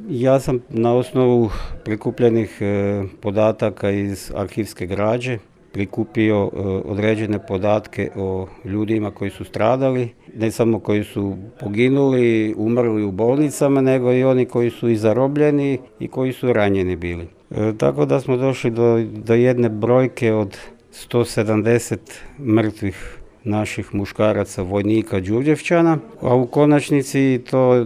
Ja sam na osnovu prikupljenih podataka iz arhivske građe prikupio određene podatke o ljudima koji su stradali, ne samo koji su poginuli, umrli u bolnicama, nego i oni koji su i zarobljeni i koji su ranjeni bili. Tako da smo došli do jedne brojke od 170 mrtvih naših muškaraca, vojnika Đurđevčana, a u konačnici to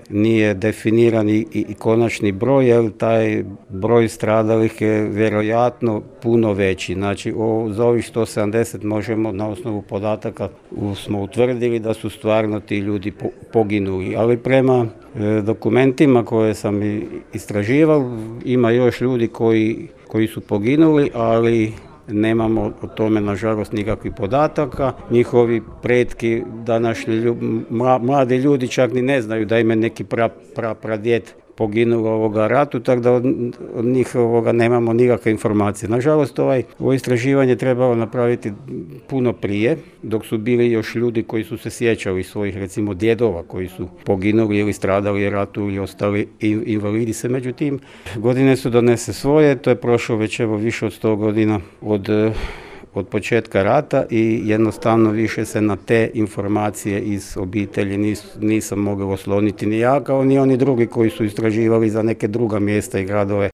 nije definiran i konačni broj, jer taj broj stradalih je vjerojatno puno veći. Znači, za ovih 170 možemo na osnovu podataka smo utvrdili da su stvarno ti ljudi poginuli, ali prema dokumentima koje sam istraživao ima još ljudi koji su poginuli, ali nemamo o tome nažalost nikakvih podataka. Njihovi pretki, današnji mladi ljudi čak ni ne znaju da im je neki pradjed poginuo u ratu, tako da od njih nemamo nikakve informacije. Nažalost, ovo istraživanje trebalo napraviti puno prije, dok su bili još ljudi koji su se sjećali svojih, recimo, djedova koji su poginuli ili stradali u ratu ili ostali invalidi se. Međutim, godine su donese svoje, to je prošlo već više od 100 godina od početka rata i jednostavno više se na te informacije iz obitelji nisam mogao osloniti ni ja, kao ni oni drugi koji su istraživali za neke druga mjesta i gradove